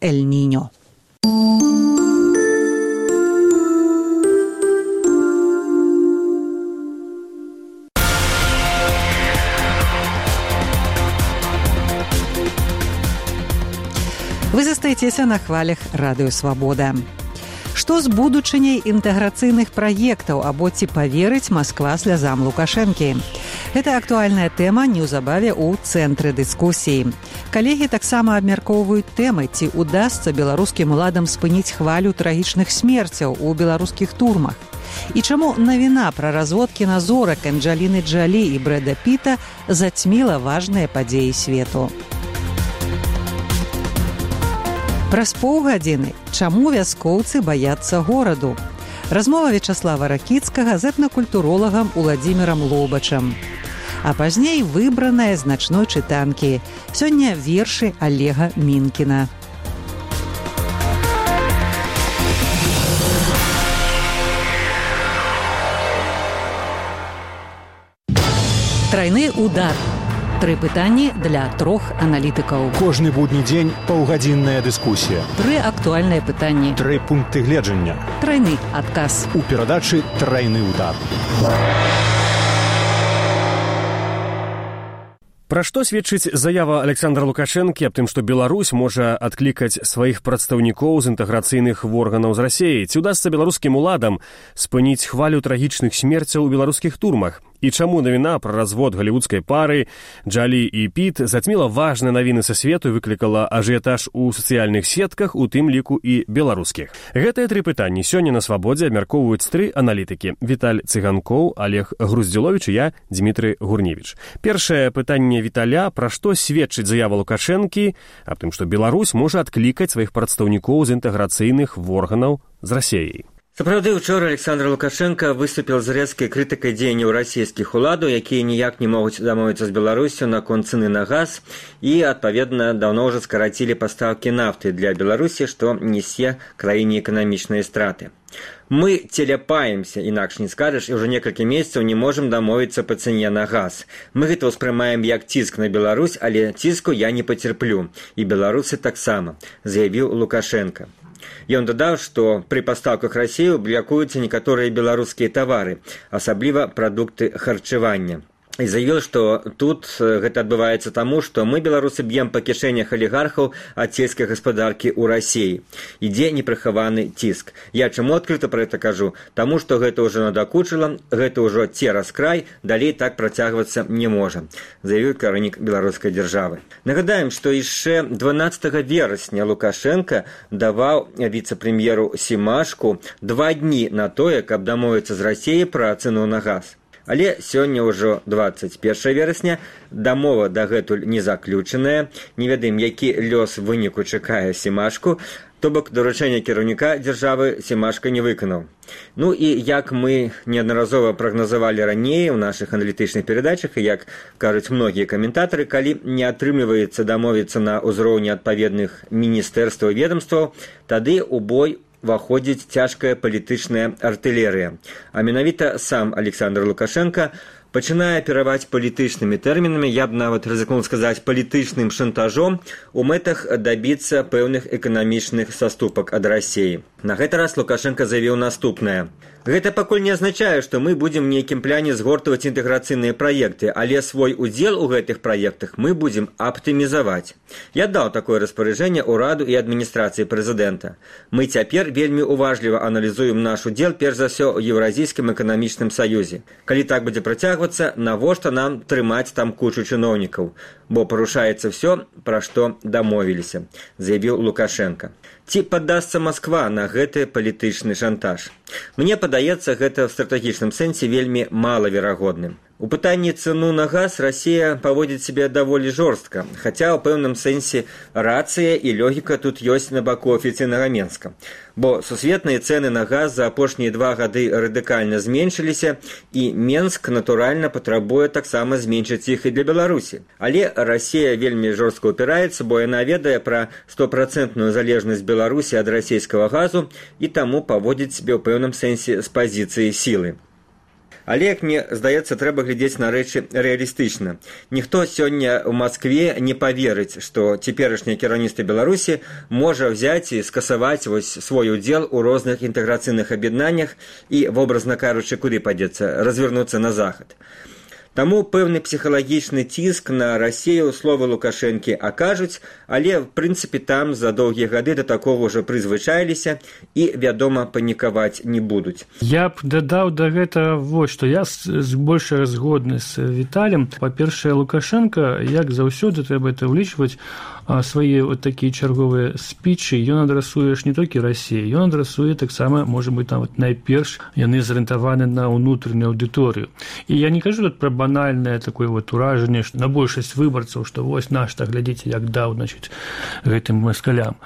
Эль-Ниньо. Вы застаецеся на хвалях Радыё Свабода. Што з будучыняй інтэграцыйных праектаў або ці паверыць Масква слязам Лукашэнкі? Гэта актуальная тэма неўзабаве ў цэнтры дыскусіі. Калегі таксама абмяркоўваюць тэмы, ці удасца беларускім уладам спыніць хвалю трагічных смерцяў у беларускіх турмах. І чаму навіна пра разводкі на зорак Анджеліны Джолі і Брэда Піта зацьміла важныя падзеі свету. Праз паўгадзіны чаму вяскоўцы баяцца гораду? Размова Вячаслава Ракіцкага з этнакультуролагам Уладзімірам Лобачам. А пазней выбраная з начной чытанкі. Сёння вершы Олега Мінкіна. Трайны удар. 3 пытанні для 3 аналітыкаў. Кожны будні дзень паўгадзінная дыскусія. 3 актуальныя пытанні. 3 пункты гледжання. Трайны адказ. У перадачы «Трайны удар». Пра што сведчыць заява Александра Лукашэнкі аб тым, што Беларусь можа адклікаць сваіх прадстаўнікоў з інтэграцыйных органаў з Расіяй? Ці ўдасца беларускім уладам спыніць хвалю трагічных смерцяў у беларускіх турмах? І чаму навіна пра развод галівудскай пары Джолі і Піт зацьміла важныя навіны са свету і выклікала ажыятаж у сацыяльных сетках, у тым ліку і беларускіх? Гэтыя 3 пытанні сёння на Свабодзе абмяркоўваюць 3 аналітыкі: Віталь Цыганкоў, Олег Груздзіловіч і я, Дмітрый Гурневіч. Першае пытанне Віталя: пра што сведчыць заява Лукашэнкі аб тым, што Беларусь можа адклікаць сваіх прадстаўнікоў з інтэграцыйных органаў з Расіяй? Сапраўды, учора Александр Лукашенко выступіў з рэзкай крытыкай дзеянняў расійскіх уладаў, якія ніяк не могуць дамовіцца з Беларусю наконт цэны на газ і, адпаведна, даўно ўжо скарацілі пастаўкі нафты для Беларусі, што нясе краіне эканамічныя страты. Мы теляпаемся, інакш не скажаш, і ўжо некалькі месяцаў не можам дамовіцца па цане на газ. Мы гэта ўспрымаем як ціск на Беларусь, але ціску я не пацерплю, і беларусы таксама, заявіў Лукашенко. Ён дадаў, што пры пастаўках Расіі блакуюцца некаторыя беларускія тавары, асабліва прадукты харчавання. І заявіў, што тут гэта адбываецца таму, што мы, беларусы, б'ем па кішэнях алігархаў ад сельскай гаспадаркі ў Расіі. Ідзе непрыхаваны ціск. Я чаму адкрыта пра гэта кажу? Таму, што гэта ўжо надакучыла, гэта ўжо цераз край, далей так працягвацца не можа, заявіў кіраўнік беларускай дзяржавы. Нагадаем, што яшчэ 12 верасня Лукашенко даваў віцэ-прэм'еру Семашку 2 дні на тое, каб дамовіцца з Расіяй пра цэну на газ. Але сёння ўжо 21 верасня, дамова дагэтуль не заключаная, не ведаем, які лёс выніку чакае Семашку, то бок даручэння кіраўніка дзяржавы Семашка не выканаў. Ну і як мы неаднаразова прагназавалі раней у нашых аналітычных перадачах, і як кажуць многія каментатары, калі не атрымліваецца дамовіцца на ўзроўні адпаведных міністэрстваў і ведамстваў, тады ў бой выходзіць цяжкая палітычная артылерыя. А менавіта сам Александр Лукашенко пачынае апераваць палітычнымі тэрмінамі, я б нават рызыкнуў сказаць палітычным шантажом у мэтах дабіцца пэўных эканамічных саступак ад Расіі. На гэты раз Лукашенко заявіў наступнае: гэта пакуль не азначае, што мы будзем нейкім пляне згортваць інтэграцыйныя праекты, але свой удзел у гэтых праектах мы будзем аптымізаваць. Я даў такое распараджэнне ўраду і адміністрацыі прэзідэнта. Мы цяпер вельмі уважліва аналізуем наш удзел, перш за ўсё, у Еўразійскім эканамічным саюзе. Калі так будзе працягвацца, навошта нам трымаць там кучу чыноўнікаў? Бо парушаецца ўсё, пра што дамовіліся, заявіў Лукашенко. Ці паддасца Масква на гэты палітычны шантаж? Мне падаецца, гэта ў стратэгічным сэнсе вельмі малаверагодным. У пытанні цэну на газ Расія паводзіць сябе даволі жорстка, хаця ў пэўным сэнсе рацыя і логіка тут ёсць на баку афіцыйнага Менска. Бо сусветныя цэны на газ за апошнія 2 гады радыкальна зменшыліся, і Менск, натуральна, патрабуе таксама зменшыць іх і для Беларусі. Але Расія вельмі жорстка ўпіраецца, бо яна ведае пра 100% залежнасць Беларусі ад расійскага газу і таму паводзіць сябе ў пэўным сэнсе з пазіцыі сілы. Але, як мне здаецца, трэба глядзець на рэчы рэалістычна. Ніхто сёння ў Маскве не паверыць, што цяперашняе кіраўніцтва Беларусі можа взяць і скасаваць свой удзел у розных інтэграцыйных аб'яднаннях і, вобразна кажучы, куды падзецца, развернуцца на захад. Таму пэўны псіхалагічны ціск на Расію словы Лукашэнкі акажуць, але, в прынцыпе, там за доўгія гады да такога ўжо прызвычаіліся і, вядома, панікаваць не будуць. Я б дадаў да гэтага вось, што я больш згодны з Віталем. Па-першае, Лукашенко, як заўсёды, трэба это ўлічваць, свае вот такія чарговыя спічы ён адрасуе не толькі Расіі, ён адрасуе таксама, можа быць, там найперш яны зарыентаваны на ўнутраную аўдыторыю. І я не кажу тут пра банальнае такое вот уражанне, што на большасць выбарцаў, што вось наш-то глядзіце, як даў, значыць, гэтым маскалям.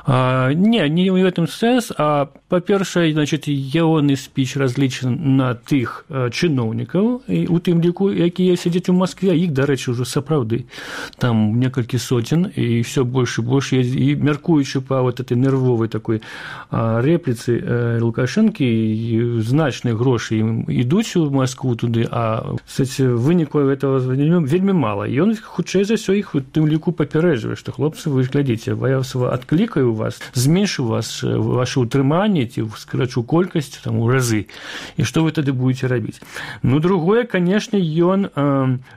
Не ў гэтым сэнс, а па-першае, значыць, ягоны спіч разлічаны на тых чыноўнікаў, у тым ліку, якія сядзяць у Маскве, іх, дарэчы, ўжо сапраўды там некалькі соцень, і ўсё больш і больш, і мяркуючы па вот этой нервовай такой рэпліцы Лукашэнкі, значныя грошы ідуць у Маскву туды, а, кстати, выніку гэтага вельмі мала. І ён, хутчэй за ўсё, іх у тым ліку папярэджвае, што, хлопцы, вы ж глядзіце, я адклікаю вас, зменшу вас ваше утрыманне, ці скрачу колькасць там у разы. І што вы тады будете рабіць? Ну, другое, канешне, ён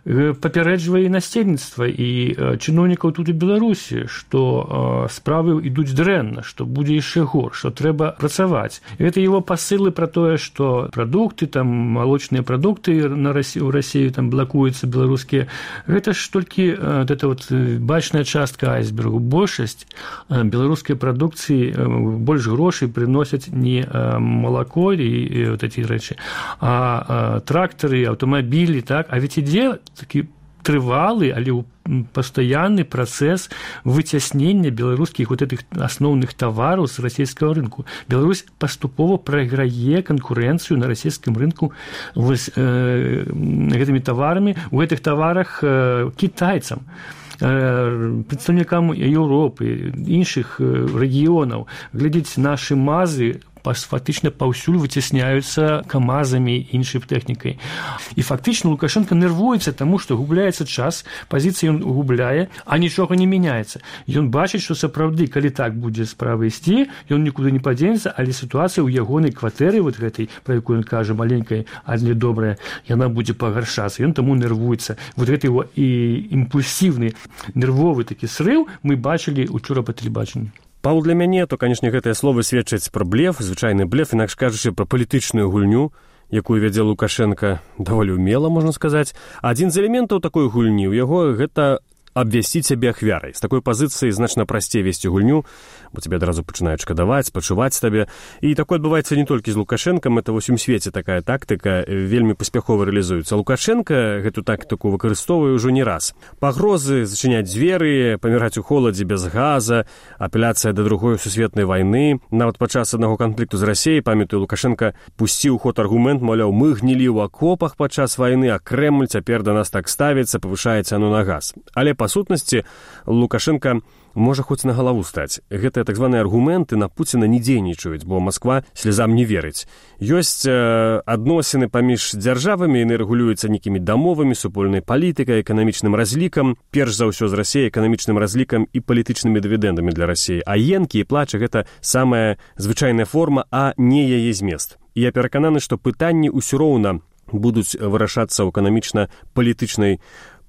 папярэджвае насельніцтва і чыноўнікаў тут у Беларусі, што справы ідуць дрэнна, што будзе яшчэ горш, што трэба працаваць. Гэта его пасылы пра тое, што прадукты, там малочныя прадукты у Расіі там блакуюцца беларускія. Гэта ж толькі гэта вот бачная частка айсбергу. Большасць беларускай прадукцыі больш грошай прыносяць не малако і вот эти рэчы, а трактары, аўтамабілі, так? А ведь ідзе такі трывалы, але пастаянны працэс выцяснення беларускіх вот этих асноўных тавараў з расійскага рынку. Беларусь паступова прайграе канкурэнцыю на расійскім рынку гэтымі таварамі, у гэтых таварах кітайцам, прадстаўнікам Еўропы, іншых рэгіёнаў. Глядзіць, нашы мазы фактычна паўсюль выцясняюцца камазамі, іншай тэхнікай. І фактычна Лукашенко нервуецца таму, што губляецца час, пазіцыі ён губляе, а нічога не мяняецца. Ён бачыць, што сапраўды, калі так будзе справа ісці, ён нікуды не падзенецца, але сітуацыя ў ягонай кватэры, вот гэтай, пра якую ён кажа, маленькай, але добрая, яна будзе пагаршацца. Ён таму нервуецца. Вот гэты его і імпульсіўны, нервовы такі срыў мы бачылі учора па тэлебачанні. Павел, для мяне, то, канешне, гэтыя словы сведчаць пра блеф, звычайны блеф, інакш кажучы, пра палітычную гульню, якую вядзе Лукашенко даволі ўмела, можна сказаць. Адзін з элементаў такой гульні ў яго гэта абвясціць сябе ахвярай. З такой пазіцыі значна прасцей весці гульню, бо тебе адразу пачынаюць шкадаваць, спачуваць табе. І такое адбываецца не толькі з Лукашэнкам, это ва ўсім свеце такая тактыка вельмі паспяхова рэалізуецца. Лукашенко гэту тактыку выкарыстоўвае ўжо не раз. Пагрозы зачыняць дзверы, паміраць у холадзе без газа, апеляцыя да другой сусветнай вайны. Нават падчас аднаго канфлікту з Расіяй, памятаю, Лукашенко пусціў ход аргумент, маўляў, мы гнілі ў акопах падчас вайны, а Крэмль цяпер да нас так ставіцца, павышае цану на газ. Але па сутнасці Лукашенко можа хоць на галаву стаць. Гэтыя так званыя аргументы на Пуціна не дзейнічаюць, бо Масква слязам не верыць. Ёсць адносіны паміж дзяржавамі, яны рэгулююцца нейкімі дамовамі, супольнай палітыкай, эканамічным разлікам, перш за ўсё з Расіяй, эканамічным разлікам і палітычнымі дывідэндамі для Расіі. А енкі і плачы гэта самая звычайная форма, а не яе змест. І я перакананы, што пытанні ўсё роўна будуць вырашацца ў эканамічна-палітычнай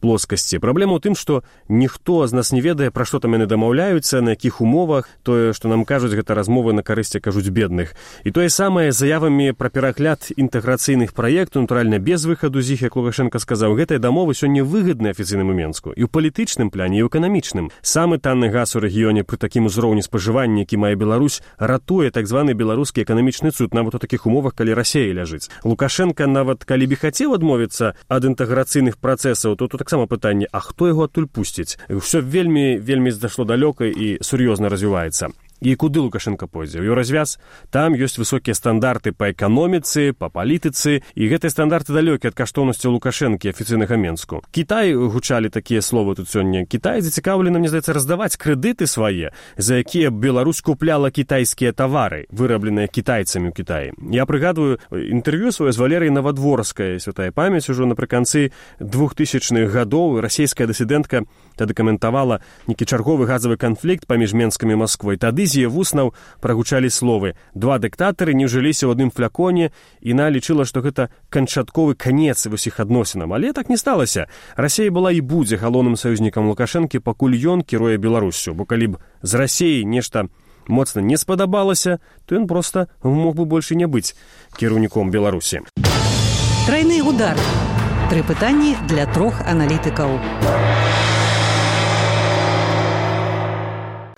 плоскасці. Праблема ў тым, што ніхто з нас не ведае, пра што там яны дамаўляюцца, на якіх умовах, тое, што нам кажуць, гэта размовы на карысць, кажуць, бедных. І тое самае з заявамі пра перагляд інтэграцыйных праектаў, натуральна, без выхаду з іх, як Лукашенко сказаў, гэтыя дамовы сёння выгадныя афіцыйнаму Менску. І ў палітычным пляне, і ў эканамічным. Самы танны газ у рэгіёне пры такім узроўні спажывання, які мае Беларусь, ратуе так званы беларускі эканамічны цуд, нават у такіх умовах, калі Расія ляжыць. Лукашенко нават калі б хацеў адмовіцца ад інтэграцыйных працэсаў, то тут таксама пытанне, а хто яго адтуль пусціць? Усё вельмі зашло далёка і сур'ёзна развіваецца. І куды Лукашенко пойдзе? У Еўразвяз там ёсць высокія стандарты па эканоміцы, па палітыцы, і гэтыя стандарты далёкі ад каштоўнасцяў Лукашэнкі афіцыйнага Менску. Кітай, гучалі такія словы тут сёння, Кітай зацікаўлены, мне здаецца, раздаваць крэдыты свае, за якія Беларусь купляла кітайскія тавары, вырабленыя кітайцамі ў Кітаі. Я прыгадваю інтэрв'ю сваё з Валерыяй Навадворскай, святая памяць, ужо напрыканцы 2000-х гадоў. Расійская дысідэнтка тады каментавала нейкі чарговы газавы канфлікт паміж Менскам і Масквой. Тады з яе вуснаў прагучалі словы: два дыктатары не ўжыліся ў адным фляконе, і яна лічыла, што гэта канчатковы канец іх адносінам. Але так не сталася. Расія была і будзе галоўным саюзнікам Лукашэнкі, пакуль ён кіруе Беларуссю. Бо калі б з Расіяй нешта моцна не спадабалася, то ён проста мог бы больше не быць кіраўніком Беларусі. Тройны удар. 3 пытанні для 3 аналітыкаў.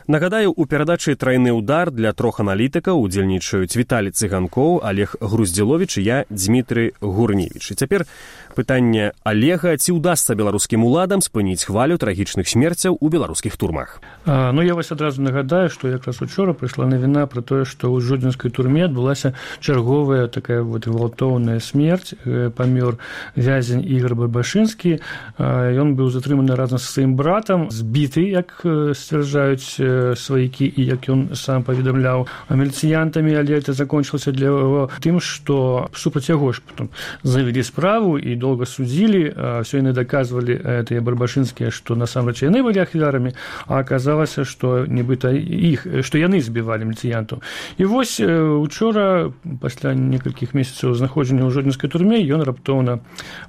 Нагадаю, у перадачы «Тройны удар» для 3 аналітыкаў удзельнічаюць Віталій Цыганкоў, Олег Груздзіловіч і я, Дмітрый Гурневіч. І цяпер пытанне Олега: ці ўдасца беларускім уладам спыніць хвалю трагічных смерцяў у беларускіх турмах? Я вас адразу нагадаю, што якраз учора прыйшла навіна пра тое, што ў жодзінскай турме адбылася чарговая такая гвалтоўная смерць. Памёр вязень Ігор Барбашынскі. Ён быў затрыманы разам са сваім братам, збіты, як сцвярджаюць сваякі, і як ён сам паведамляў, міліцыянтамі, але это закончылася для яго тым, што супраць яго ж потом завялі справу і доўга судзілі. Все яны даказвалі, тыя барбашынскія, што насамрэч яны былі ахвярамі, а аказалася, што нібыта іх, што яны збівалі міліцыянтаў. І вось учора, пасля некалькіх месяцаў знаходжання ў жодзінскай турме, ён раптоўна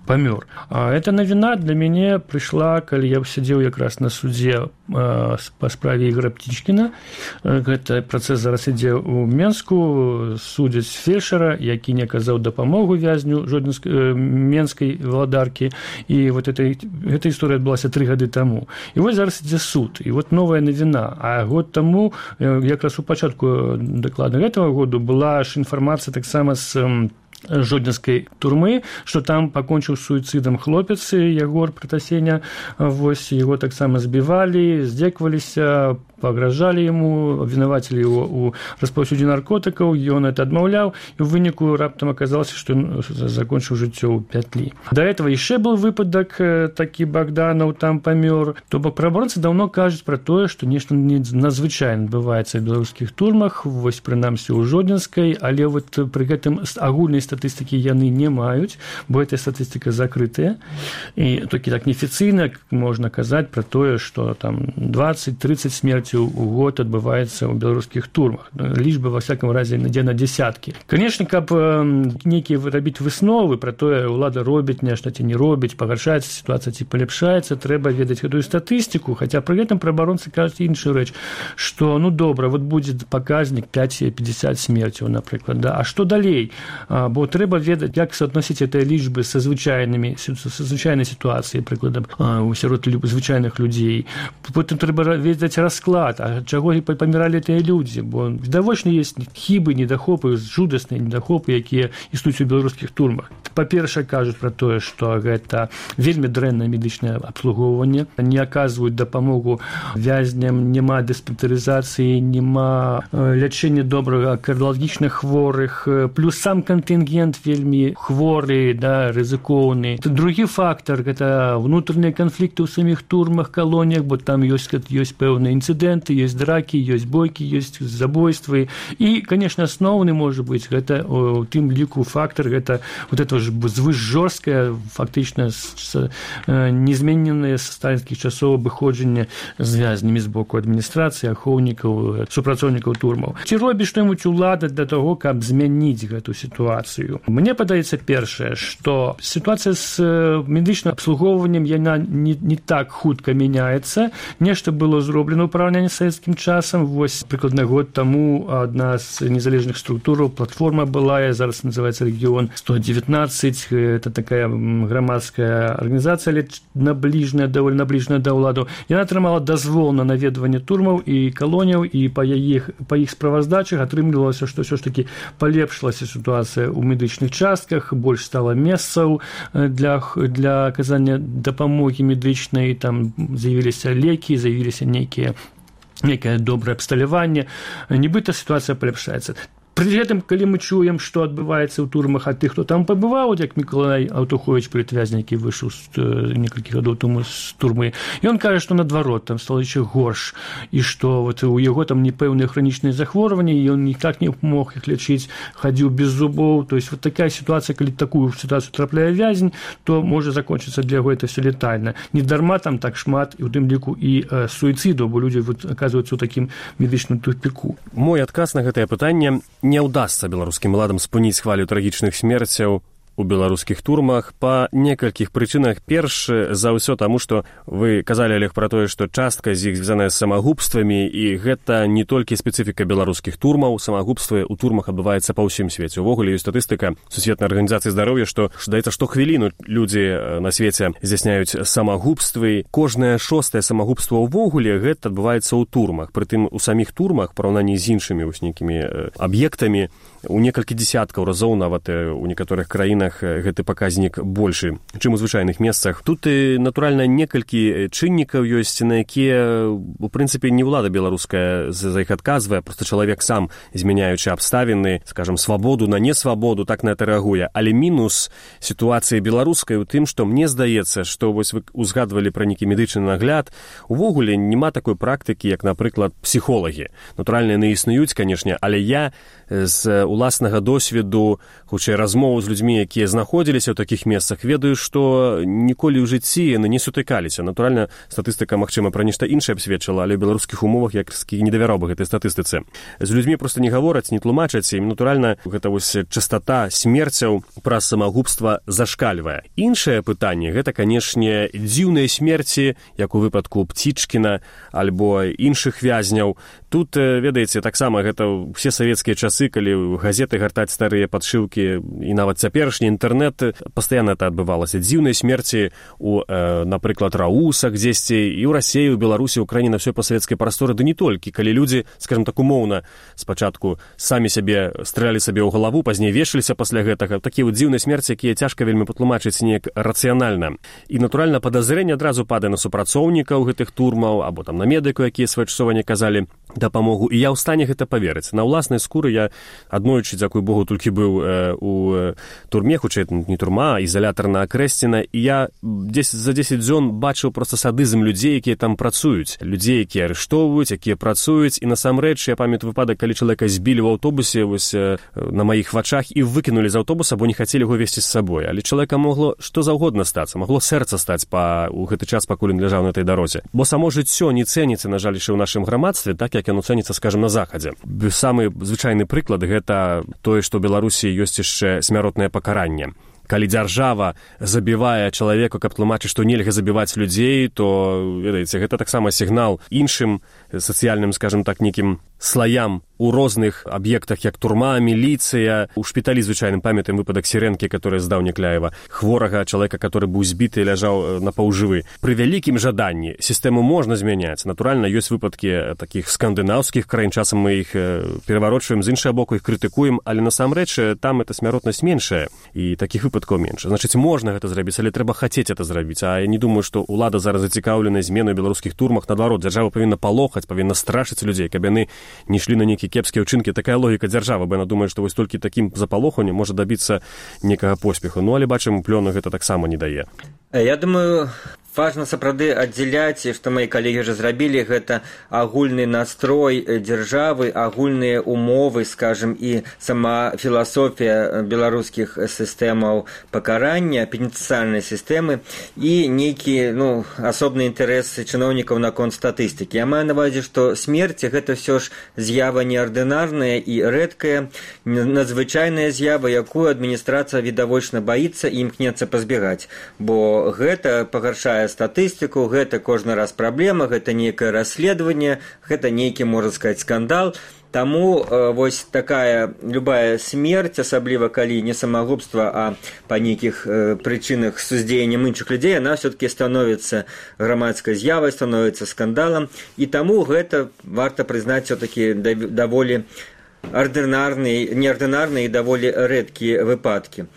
памёр. Эта навіна для мяне прыйшла, калі я сядзеў якраз на судзе па справе Ігора Птічкіна. Гэты працэс зараз ідзе ў Менску. Судзяць фельчара, які не аказаў дапамогу вязню менскай валадаркі. І вот эта гісторыя адбылася 3 гады таму. І вось зараз ідзе суд. І вот новая навіна. А год таму, якраз у пачатку дакладна гэтага году, была ж інфармацыя таксама з жодзінскай турмы, што там пакончыў суіцыдам хлопец Ягор Пратасеня. Вось яго таксама збівалі, здзекваліся, пагражалі яму, абвінавацілі яго ў распаўсюдзе наркотыкаў, ён это адмаўляў, і ў выніку раптам аказалася, што ён закончыў жыццё ў пятлі. Да этого яшчэ быў выпадак такі, Богданаў там памёр. То бок праваабаронцы даўно кажуць пра тое, што нешта надзвычайна адбываецца ў беларускіх турмах, вось прынамсі ў жодзінскай, але вот пры гэтым агульнай статыстыкі яны не маюць, бо эта статыстыка закрытая. І толькі так неафіцыйна можна казаць пра тое, што там 20-30 смерцяў у год адбываецца ў беларускіх турмах. Лічба, ва всяком разе, ідзе на дзесяткі. Канешне, каб нейкія рабіць высновы пра тое, ўлада робіць нешта ці не робіць, пагаршаецца сітуацыя ці паляпшаецца, трэба ведаць гэтую статыстыку, хаця пры гэтым праваабаронцы кажуць іншую рэч, што добра, вот будзе паказнік 5-50 смерцяў, напрыклад, да? А што далей? Бо трэба ведаць, як суадносіць гэтыя лічбы са звычайнай сітуацыяй, прыкладам, сярод звычайных людзей. Потым трэба ведаць расклад, а чаго паміралі тыя людзі, бо відавочна ёсць хібы, недахопы, жудасныя недахопы, якія існуюць у беларускіх турмах. Па-першае, кажуць пра тое, што гэта вельмі дрэннае медычнае абслугоўванне, не аказваюць дапамогу вязням, няма дыспансерызацыі, няма лячэння добрага кардыялагічных хворых, плюс сам кантынгент вельмі хворы, да, рызыкоўны. Другі фактар – гэта внутреннія канфлікты ў саміх турмах, калоніях, бо там ёсць пэўныя інцыдэнты, ёсць дракі, ёсць бойкі, ёсць забойствы. І, конечно, асноўны можа быць гэта у тым ліку фактар, гэта вот это ж звышжорсткае, фактычна незмененае са сталінскіх часоў абыходжанне з вязнямі з боку адміністрацыі, ахоўнікаў, супрацоўнікаў турмаў. Ці робіць што-небудзь улада для того, каб змяніць гэту сітуацыю? Мне падаецца першае, што сітуацыя з медычным абслугоўваннем, яна не так хутка мяняецца. Нешта было зроблена ў параўнанні з савецкім часам. Вось прыкладна год таму адна з незалежных структураў, платформа была, зараз называецца рэгіён 119. Это такая грамадская арганізацыя, але даволі набліжаная да ўладу. Яна атрымала дазвол на наведванне турмаў і калоніяў, і па іх справаздачах атрымлівалася, што ўсё ж такі палепшылася сітуацыя ў медычных частках, больш стала месцаў для аказання дапамогі медычнай, там з'явіліся лекі, з'явіліся нейкія некае добрае абсталяванне, нібыта сітуацыя паляпшаецца. Пры гэтым, калі мы чуем, што адбываецца ў турмах ад тых, хто там пабываў, як Мікалай Аўтуховіч, палітвязня, які выйшаў некалькі гадоў таму з турмы, ён кажа, што наадварот, там стала яшчэ горш, і што вот у яго там непэўныя хранічныя захворванні, і ён ніяк не мог іх лячыць, хадзіў без зубоў. То есть вот такая сітуацыя, калі такую сітуацыю трапляе вязень, то можа закончыцца для яго это все летальна. Не дарма там так шмат, і ў тым ліку і суіцыду, бо людзі вот аказваюцца ў такім медычным тупіку. Мой адказ на гэтае пытанне: не ўдасца беларускім уладам спыніць хвалю трагічных смерцяў у беларускіх турмах па некалькіх прычынах. Перш за ўсё таму, што вы казалі, Олег, пра тое, што частка з іх звязаная з самагубствамі, і гэта не толькі спецыфіка беларускіх турмаў. Самагубствы ў турмах адбываецца па ўсім свеце. Увогуле ёсць статыстыка Сусветнай арганізацыі здароўя, што здаецца, штохвіліну людзі на свеце здзяйсняюць самагубствы. Кожнае 6-е самагубства ўвогуле гэта адбываецца ў турмах. Прытым у саміх турмах, параўнанні з іншымі вось нейкімі аб'ектамі, у некалькі дзесяткаў разоў, нават у некаторых краінах гэты паказнік большы, чым у звычайных месцах. Тут, натуральна, некалькі чыннікаў ёсць, на якія, у прынцыпе, не ўлада беларуская за іх адказвае, проста чалавек сам, змяняючы абставіны, скажам, свабоду на несвабоду, так на гэта рэагуе. Але мінус сітуацыі беларускай у тым, што мне здаецца, што вось вы узгадвалі пра нейкі медычны нагляд, увогуле няма такой практыкі, як, напрыклад, псіхолагі. Натуральна, яны існуюць, канешне, але я з уласнага досведу, хутчэй размову з людзьмі, якія знаходзіліся ў такіх месцах, ведаю, што ніколі ў жыцці яны не сутыкаліся. Натуральна, статыстыка, магчыма, пра нешта іншае б сведчыла, але ў беларускіх умовах я не давяраў бы гэтай статыстыцы. З людзьмі проста не гавораць, не тлумачаць, і, натуральна, гэта вось частата смерцяў праз самагубства зашкальвае. Іншае пытанне, гэта, канешне, дзіўныя смерці, як у выпадку Пцічкіна альбо іншых вязняў. Тут, ведаеце, таксама гэта ўсе савецкія часы, калі газеты гартаць старыя падшыўкі, і нават цяперашні інтэрнэт, пастаянна это адбывалася. Дзіўныя смерці у, напрыклад, Раусах дзесьці, і ў Расіі, у Беларусі, ў краіне, на ўсёй пасавецкай прасторы, ды не толькі. Калі людзі, скажам так, умоўна, спачатку самі сябе стрэлялі сабе ў галаву, пазней вешаліся пасля гэтага. Такія дзіўныя смерці, якія цяжка вельмі патлумачыць неяк рацыянальна. І, натуральна, падазрэнне адразу падае на супрацоўнікаў гэтых турмаў, або там на медыку, якія своечасова не казалі дапамогу. І я ў стане гэта паверыць. На ўласнай скуры я аднойчы, дзякуй Богу, толькі быў у турме, хутчэй не турма, а ізалятарна Акрэсціна, і я за 10 дзён бачыў проста садызм людзей, якія там працуюць. Людзей, якія арыштоўваюць, якія працуюць, і насамрэч я памятаю выпадак, калі чалавека збілі ў аўтобусе вось на маіх вачах і выкінулі з аўтобуса, бо не хацелі яго весці з сабой. Але чалавека могло што заўгодна стацца, магло сэрца стаць у гэты час, пакуль ён ляжаў на этой дарозе. Бо само жыццё не цэніцца, на жаль, яшчэ ў нашым грамадстве, так як яно цэніцца, скажам, на захадзе. Самы звычайны прыклад гэта тое, што ў Беларусі ёсць яшчэ смяротнае пакаранне. Калі дзяржава забівае чалавека, каб тлумачыць, што нельга забіваць людзей, то, ведаеце, гэта таксама сігнал іншым сацыяльным, скажам так, нейкім слаям у розных аб'ектах, як турма, міліцыя. У шпіталі звычайным памятаем выпадак Сірэнкі, который здаў Някляева, хворага чалавека, который быў збіты і ляжаў напаўжывы. Пры вялікім жаданні сістэму можна змяняць. Натуральна, ёсць выпадкі такіх скандынаўскіх краін, часам мы іх пераварочваем, з іншага боку іх крытыкуем, але насамрэч там эта смяротнасць меншая, і такіх выпадкаў менш. Значыць, можна гэта зрабіць, але трэба хацець это зрабіць. А я не думаю, што ўлада зараз зацікаўлена зменай у беларускіх турмах. Наадварот, дзяржава павінна палохаць, павінна страшыць людзей, каб яны не ішлі на нейкія кепскія ўчынкі. Такая логіка дзяржавы, бо яна думае, што вось толькі такім запалоханнем можа дабіцца некага поспеху. Ну, але бачым, плёну гэта таксама не дае. Я думаю, важна сапраўды аддзяляць, што мои калегі ўжо зрабілі, гэта агульны настрой дзяржавы, агульныя умовы, скажем, і сама філасофія беларускіх сістэмаў пакарання, пенітэнцыяльнай сістэмы, і нейкі, асобны інтарэс чыноўнікаў наконт статыстыкі. Я маю на ўвазе, што смерць гэта ўсё ж з'ява неардынарная і рэдкая, надзвычайная з'ява, якую адміністрацыя відавочна баіцца і імкнецца пазбегаць, бо гэта пагаршае статыстыку, гэта кожны раз праблема, гэта нейкае расследаванне, гэта нейкі, можна сказаць, скандал. Таму вось такая любая смерць, асабліва калі не самагубства, а па нейкіх прычынах з уздзеяннем іншых людзей, яна ўсё-такі становіцца грамадскай з'явай, становіцца скандалам, і таму гэта варта прызнаць ўсё-такі даволі неардынарныя і даволі рэдкія выпадкі.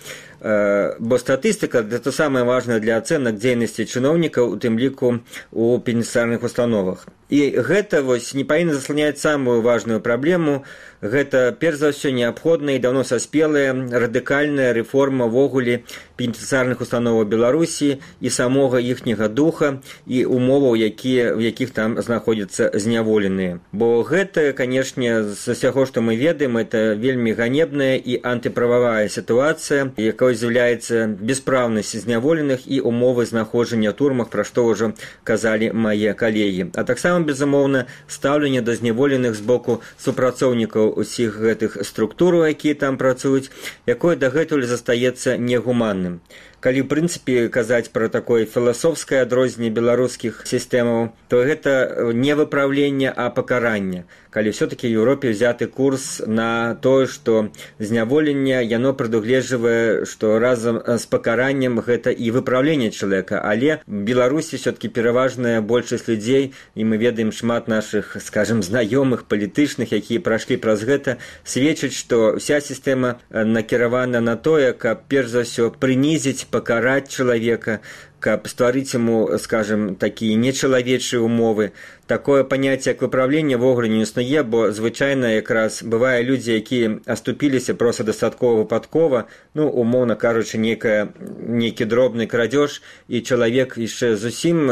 Бо статыстыка – гэта самае важнае для ацэнак дзейнасці чыноўнікаў, у тым ліку у пенітэнцыяльных установах. І гэта не павінна засланяць самую важную праблему. Гэта, перш за ўсё, неабходная і даўно саспелая радыкальная рэформа ввогуле пенітэнцыярных установаў Беларусі і самога іхняга духа і умоваў, в якіх там знаходзяцца зняволеныя. Бо гэта, канешне, з усяго, што мы ведаем, это вельмі ганебная і антыправавая сітуацыя, якой з'яўляецца беспраўнасць зняволеных і умовы знаходжання ў турмах, пра што ўжо казалі мае калегі. А таксама, безумоўна, стаўленне да зняволеных з боку супрацоўнікаў усіх гэтых структур, якія там працуюць, якое дагэтуль застаецца негуманным. Калі, в прынцыпе, казаць пра такое філасофскае адрозненне беларускіх сістэмаў, то гэта не выпраўленне, а пакаранне. Калі ўсё-такі ў Еўропе взяты курс на тое, што зняволенне, яно прадугледжвае, што разам з пакараннем гэта і выпраўленне чалавека. Але в Беларусі ўсё-такі пераважная большасць людзей, і мы ведаем шмат нашых, скажем, знаёмых, палітычных, якія прайшлі праз гэта, сведчаць, што ўся сістэма накіравана на тое, каб перш за ўсё прынізіць, пакараць чалавека, каб стварыць яму, скажем, такія нечалавечыя умовы. Такое паняцце, як выпраўленне, ввогуле не існуе, бо звычайна якраз бывае людзі, якія аступіліся проста дастаткова выпадкова, умоўна кажучы, нейкі дробны крадзеж, і чалавек яшчэ зусім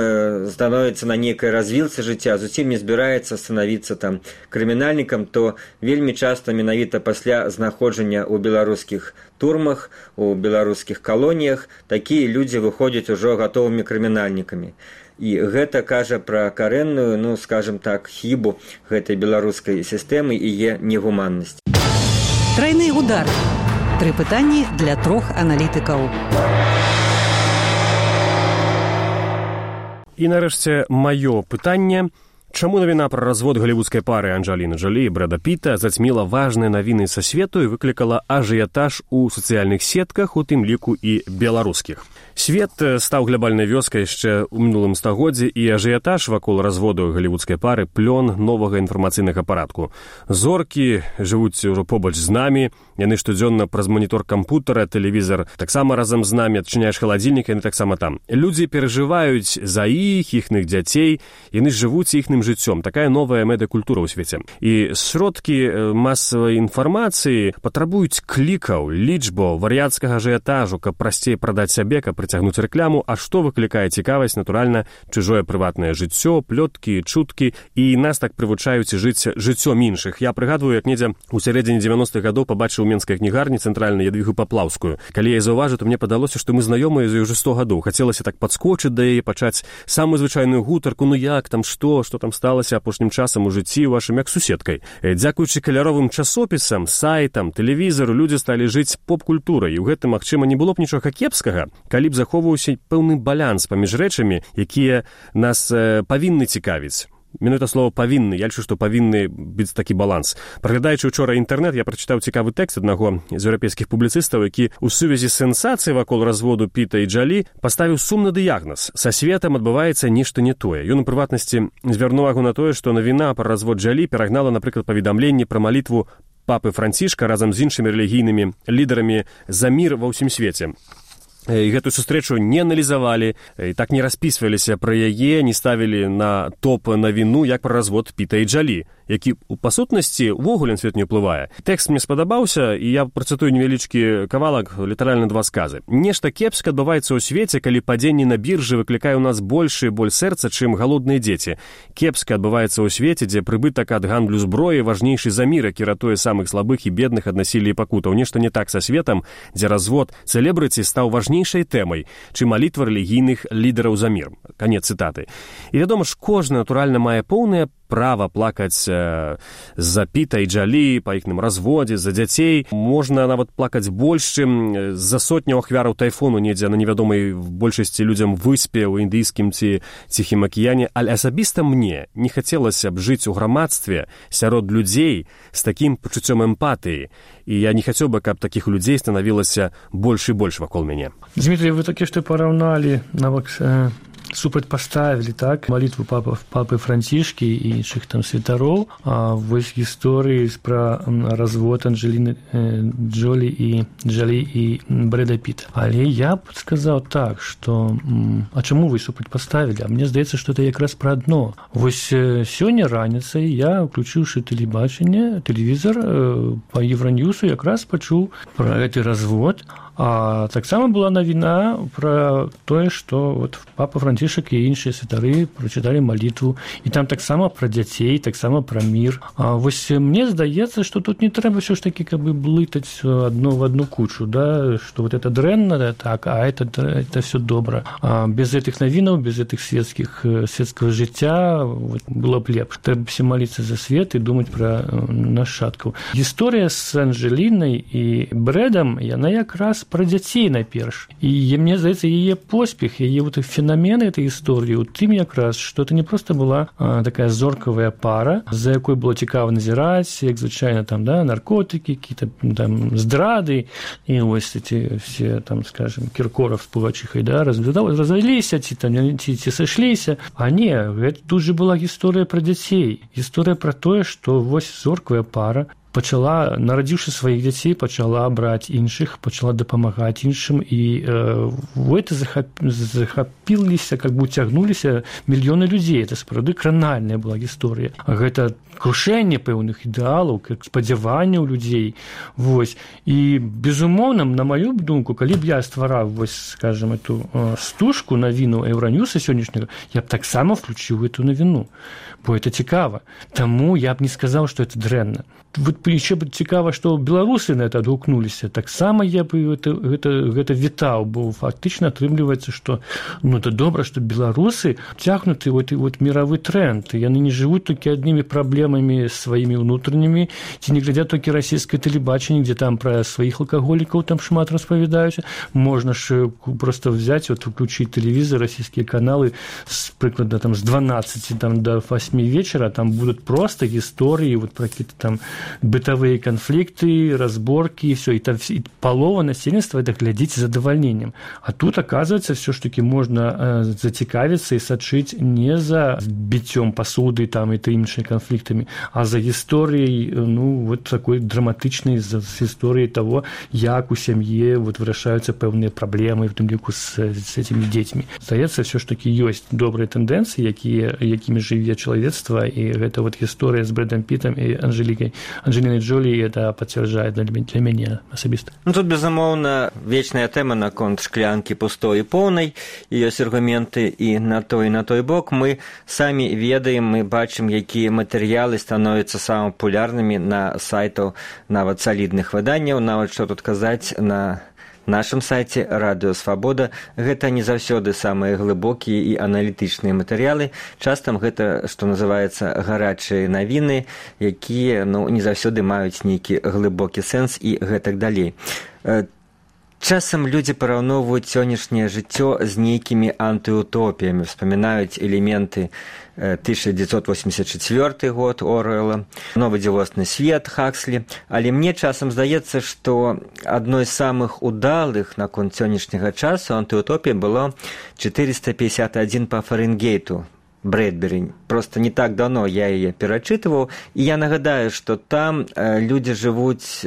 становіцца на нейкай развілцы жыцця, зусім не збіраецца станавіцца там крымінальнікам, то вельмі часта менавіта пасля знаходжання ў беларускіх турмах, у беларускіх калоніях, такія людзі выходзяць ужо гатовымі крымінальнікамі. І гэта кажа пра карэнную, скажем так, хібу гэтай беларускай сістэмы і яе негуманнасць. Трайны удар. 3 пытанні для 3 аналітыкаў. І нарэшце маё пытанне. Чаму навіна пра развод галівудскай пары Анджеліны Джолі і Брэда Піта зацьміла важныя навіны са свету і выклікала ажыятаж у сацыяльных сетках, у тым ліку і беларускіх? Свет стаў глобальнай вёскай яшчэ ў мінулым стагоддзі, і ажыятаж вакол разводу галівудскай пары плён новага інфармацыйнага парадку. Зоркі жывуць ужо побач з намі, яны штодзённа праз манітор кампутара, тэлевізар таксама разам з намі, адчыняеш халадзільнік, яны таксама там. Людзі перажываюць за іхных дзяцей, яны жывуць іхным жыццём. Такая новая медыакультура ў свеце. І сродкі масавай інфармацыі патрабуюць клікаў, лічбаў, вар'яцкага ажыятажу, каб прасцей прадаць сябе, каб прыцягнуць рэкламу, а што выклікае цікавасць, натуральна, чужое прыватнае жыццё, плёткі, чуткі, і нас так прывучаюць жыць жыццём іншых. Я прыгадваю, як недзе ў сярэдзіне 90-х гадоў пабачыў у менскай кнігарні цэнтральнай Ядвігу Паплаўскую. Калі я заўважыў, то мне падалося, што мы знаёмыя за ўжо 100 гадоў. Хацелася так падскочыць да яе, пачаць самую звычайную гутарку, як там, што там сталася апошнім часам у жыцці вашым, як суседкай. Дзякуючы каляровым часопісам, сайтам, тэлевізару, людзі сталі жыць поп-культурай, і ў гэтым, магчыма, не было б нічога кепскага, калі б захоўваўся пэўны баланс паміж рэчамі, якія нас павінны цікавіць. Менавіта слова «павінны», я лічу, што павінны быць такі баланс. Праглядаючы ўчора інтэрнэт, я прачытаў цікавы тэкст аднаго з еўрапейскіх публіцыстаў, які ў сувязі з сенсацыяй вакол разводу Піта і Джолі паставіў сумны дыягназ. Са светам адбываецца нешта не тое. Ён, у прыватнасці, звярнуў увагу на тое, што навіна пра развод Джолі перагнала, напрыклад, паведамленні пра малітву папы Францішка разам з іншымі рэлігійнымі лідарамі за мір ва ўсім свеце. І гэтую сустрэчу не аналізавалі, і так не распісваліся пра яе, не ставілі на топ навіну, як пра развод Піта і Джолі, які, па сутнасці, увогуле на свет не ўплывае. Тэкст мне спадабаўся, і я працытую невялічкі кавалак, літаральна 2 сказы. Нешта кепска адбываецца ў свеце, калі падзенне на біржы выклікае ў нас большы боль сэрца, чым галодныя дзеці. Кепска адбываецца ў свеце, дзе прыбытак ад гандлю зброі важнейшы за мір, які ратуе самых слабых і бедных ад насілля і пакутаў. Нешта не так са светам, дзе развод цэлебрыці стаў важнейшай тэмай, чым малітва рэлігійных лідараў за мір. Канец цытаты. І, вядома ж, кожны, натуральна, мае поўнае права плакаць за Піта і Джолі, па іхным разводзе, за дзяцей. Можна нават плакаць больш, чым за сотню ахвяраў тайфуну недзе на невядомай в большасці людзям выспе ў індыйскім ці ціхім акіяне, але асабіста мне не хацелася б жыць у грамадстве сярод людзей з такім пачуццём эмпатыі. І я не хацеў бы, каб такіх людзей станавілася больш і больш вакол мяне. Дмітрий, вы такі што параўналі нават супрацьпаставілі так малітву папы Францішкі і іншых там святароў, а вось гісторыі пра развод Анджеліны Джолі і Брэда Піта. Але я б сказаў так, што а чаму вы супрацьпаставілі? А мне здаецца, што это якраз пра адно. Вось сёння раніцай я, уключыўшы тэлевізор па Евроньюсу, якраз пачуў пра гэты развод. А таксама была навіна пра тое, што вот папа Францішак і іншыя святары прачыталі малітву, і там таксама пра дзяцей, таксама пра мір. А вось мне здаецца, што тут не трэба ўсё ж такі каб бы блытаць адно в одну кучу, да, што вот это дрэнна, так, а это все добра. А без гэтых навінаў, без гэтых светскага жыцця вот, было б лепш. Трэба все маліцца за свет і думаць пра нашчадкаў. Гісторыя з Анджелінай і Брэдам, яна якраз пра дзяцей найперш. І мне здаецца, яе поспех, яе вот феномен этой гісторыі у тым якраз, што это не проста была такая зоркавая пара, за якой было цікава назіраць, як звычайна там, да, наркотыкі, какие-то там здрады, і вось эти все там, скажем, Кіркоров з Пугачыхай, да, разваліліся, ці сышліся. А не, гэта тут же была гісторыя пра дзяцей. Гісторыя пра тое, што вось зоркавая пара пачала, нарадзіўшы сваіх дзяцей, пачала браць іншых, пачала дапамагаць іншым, і в это захапіліся, как бы уцягнуліся мільёны людзей. Это сапраўды кранальная была гісторыя. Гэта крушэнне пэўных ідэалаў, спадзяванняў людзей. Вось. І, безумоўна, на маю думку, калі б я ствараў, вось, скажем, эту стужку навіну Евроньюса сённяшняга, я б таксама включыў эту навіну, бо это цікава. Таму я б не сказаў, што это дрэнна. Вот еще бы цікава, што беларусы на это адгукнуліся. Таксама я бы гэта вітаў, бо фактычна атрымліваецца, што ну это добра, што беларусы цягнуты вот мировы тренд. Яны не жывуць толькі аднымі праблемамі сваімі ўнутранымі, ці не глядзяць толькі расійскае тэлебачанне, дзе там пра сваіх алкаголікаў там шмат распавядаюць. Можна ж просто взять, вот включить телевизор, российские каналы, прыкладна там с 12 там, до 8 вечера, там будут просто истории вот про какие-то там бытовые конфликты, разборки, и все, и там и полова насельніцтва это глядзіць з задавальненнем. А тут, оказывается, все ж таки можно зацікавіцца и сачыць не за бітцём посуды там и іншымі конфликтами, а за историей, ну, вот такой драматичной, за историей того, як у семье вот вырашаюцца пэўныя праблемы, в тым ліку с этими детьми. Здаецца, все ж таки ёсць добрыя тэндэнцыі, якімі жыве чалавецтва, і гэта вот гісторыя з Брэдам Пітам і Анджеліной Джолі, это пацвярджае для мяне асабіста. Ну, тут, безумоўна, вечная тэма наконт шклянкі пустой і поўнай, і ёсць аргументы і на той бок. Мы самі ведаем, мы бачым, якія матэрыялы становяцца самымі папулярнымі на сайтаў нават салідных выданняў, нават што тут казаць на нашым сайце Радыё Свабода. Гэта не заўсёды самыя глыбокія і аналітычныя матэрыялы. Часам гэта, што называецца, гарачыя навіны, якія, ну, не заўсёды маюць нейкі глыбокі сэнс і гэтак далей. Часам людзі параўноўваюць сённяшняе жыццё з нейкімі антыутопіямі, вспамінаюць элементы 1984 год Оруэлла, «Новый дзівосны свет» Хакслі, але мне часам здаецца, што адной з самых удалых наконт сённяшняга часу антыутопія было 451 па Фарэнгейту Брэдбері. Просто не так давно я яе перачытываў, і я нагадаю, што там людзі жывуць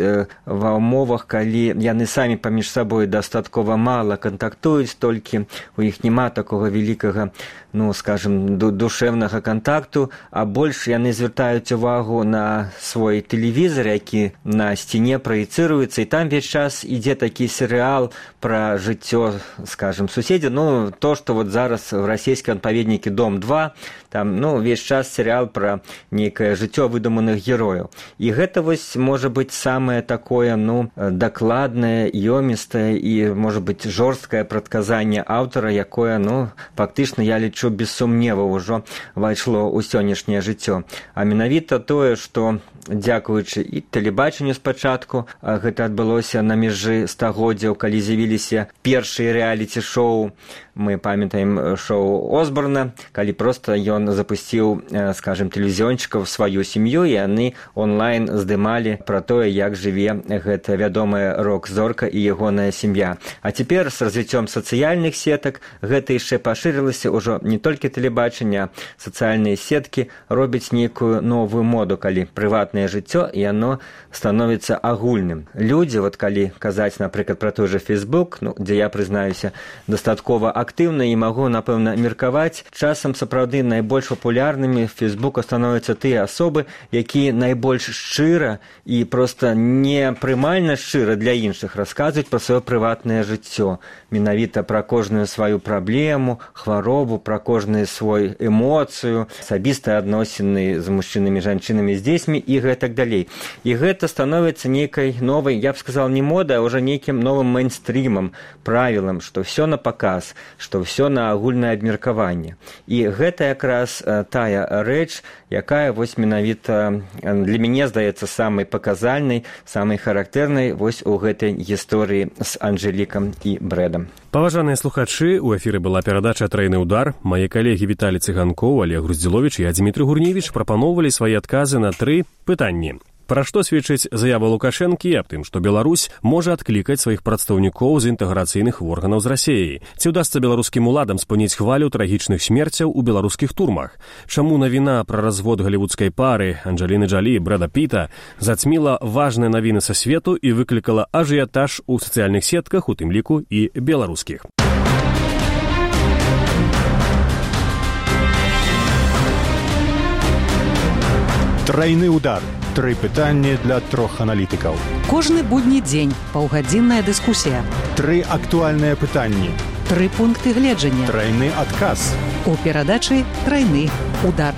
ва ўмовах, калі яны самі паміж сабой дастаткова мала кантактуюць, толькі у іх няма такога вялікага, ну, скажем, душевнага кантакту, а больш яны звяртаюць увагу на свой тэлевізор, які на сцяне праецыруецца, і там весь час ідзе такі серыял пра жыццё, скажем, суседзя. Ну, то, што вот зараз в расійскім адпаведнікі «Дом-2», там, ну, весь час серыял пра нейкае жыццё выдуманых герояў. І гэта вось можа быць самае такое, ну, дакладнае, ёмістае і, можа быць, жорсткае прадказанне аўтара, якое, ну, фактычна, я лічу, без сумневу ўжо вайшло ў сённяшняе жыццё. А менавіта тое, што дзякуючы і тэлебачанню спачатку, гэта адбылося на мяжы стагоддзяў, калі з'явіліся першыя рэаліці-шоу, мы памятаем шоу Осборна, калі проста ён запусціў, скажем, тэлевізіёнчыкаў сваю сям'ю, і яны онлайн здымалі пра тое, як жыве гэта вядомая рок-зорка і ягоная сям'я. А цяпер з развіццём сацыяльных сетак гэта яшчэ пашырылася, ўжо не толькі тэлебачанне, сацыяльныя сеткі робяць нейкую новую моду, калі прыватнае жыццё, і яно становіцца агульным. Людзі, вот калі казаць, напрыклад, пра той же Facebook, дзе я прызнаюся, дастаткова актыўна і магу, напэўна, меркаваць, часам сапраўды найбольш папулярнымі в Фейсбуку становяцца тыя асобы, якія найбольш шчыра і проста непрымальна шчыра для іншых расказваюць пра сваё прыватнае жыццё. Менавіта пра кожную сваю праблему, хваробу, пра кожную свою эмоцыю, асабістыя адносіны з мужчынамі, жанчынамі, з дзецьмі і гэтак далей. І гэта становіцца нейкай новай, я б сказал, не модай, а ўжо нейкім новым мейнстрімам, правілам, што ўсё на паказ, што ўсё на агульнае абмеркаванне. І гэта якраз тая рэч, якая вось менавіта для мяне здаецца самай паказальнай, самай характэрнай вось у гэтай гісторыі з Анжэлікам і Брэдам. Паважаныя слухачы, у эфіры была перадача «Трайны удар». Мае калегі Віталій Цыганкоў, Олег Груздзіловіч і Дзмітрый Гурневіч прапаноўвалі свае адказы на 3 пытанні. Пра што сведчыць заява Лукашэнкі аб тым, што Беларусь можа адклікаць сваіх прадстаўнікоў з інтэграцыйных органаў з Расіяй? Ці ўдасца беларускім уладам спыніць хвалю трагічных смерцяў у беларускіх турмах? Чаму навіна пра развод галівудскай пары Анджеліны Джолі і Брэда Піта зацьміла важныя навіны са свету і выклікала ажыятаж у сацыяльных сетках, у тым ліку і беларускіх? Трайны удар. 3 пытанні для 3 аналітыкаў. Кожны будні дзень паўгадзінная дыскусія. 3 актуальныя пытанні. 3 пункты гледжання. Трайны адказ. У перадачы «Трайны удар».